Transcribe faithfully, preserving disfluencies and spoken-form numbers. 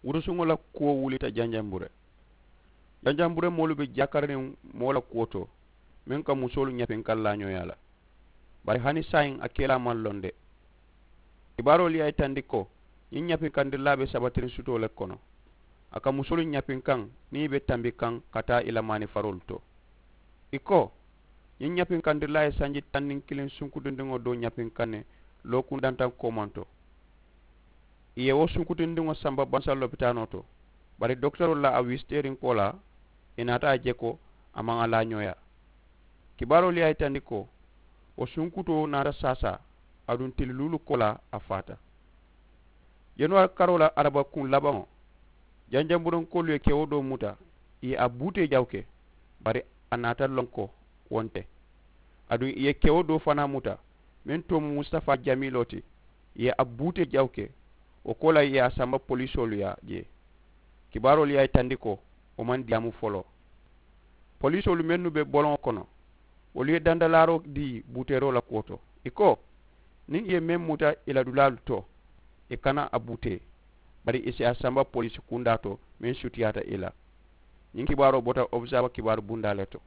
Wurusuŋo la kuwo wulita janjanbure. Janjanbure moolu be jakariniŋ moo la kuwo to meŋ ka musoolu ñapinkaŋ laañooyaa la. Bari hani saayiŋ a kelaa maŋ loŋ de. Kibaaroolu ye a yitandi ko ñiŋ ñapinkandirilaa be sabatiriŋ sutoo le kono. A ka musoolu ñapinkaŋ niŋ i be tambi kaŋ ka taa i la maanifaroolu to. I ko ñiŋ ñapinkandirilaa ye sanji taŋ niŋ kiliŋ sunkutundiŋo doo ñapinkaŋ ne lookundantaŋ koomaŋ to. I ye wo sunkutundiŋo samba bansa lopitaanoo to. Bari dokitoroolu la a wisiteeriŋ koolaa i naata a je ko a maŋ a laañooyaa. Kibaaroolu ye a yitandi ko wo sunkutoo naata saasaa aduŋ tili luulu koolaa a faata. Januwaari karoo la arabakuŋ labaŋo janjanburankoolu ye kewo doo muta i ye a buutee jaw ke. Bari a naata loŋ ko wo nte. Aduŋ i ye kewo doo fanaa muta meŋ too mu mustafaa jamiiloo ti i ye a buutee jaw ke. Wo koolaa i ye a samba polisoolu yaa jee. Kibaaroolu ye a yitandi ko wo maŋ diyaamu foloo. Polisoolu mennu be boloŋo kono wolu ye dandalaaroo dii buuteeroo la kuwo to i ko niŋ i ye meŋ muta i la dulaalu to i kana a buutee. Bari i si a samba polisi kundaa to meŋ sutiyaata i la. Ñiŋ kibaaroo bota observer kibaaru bundaa le to.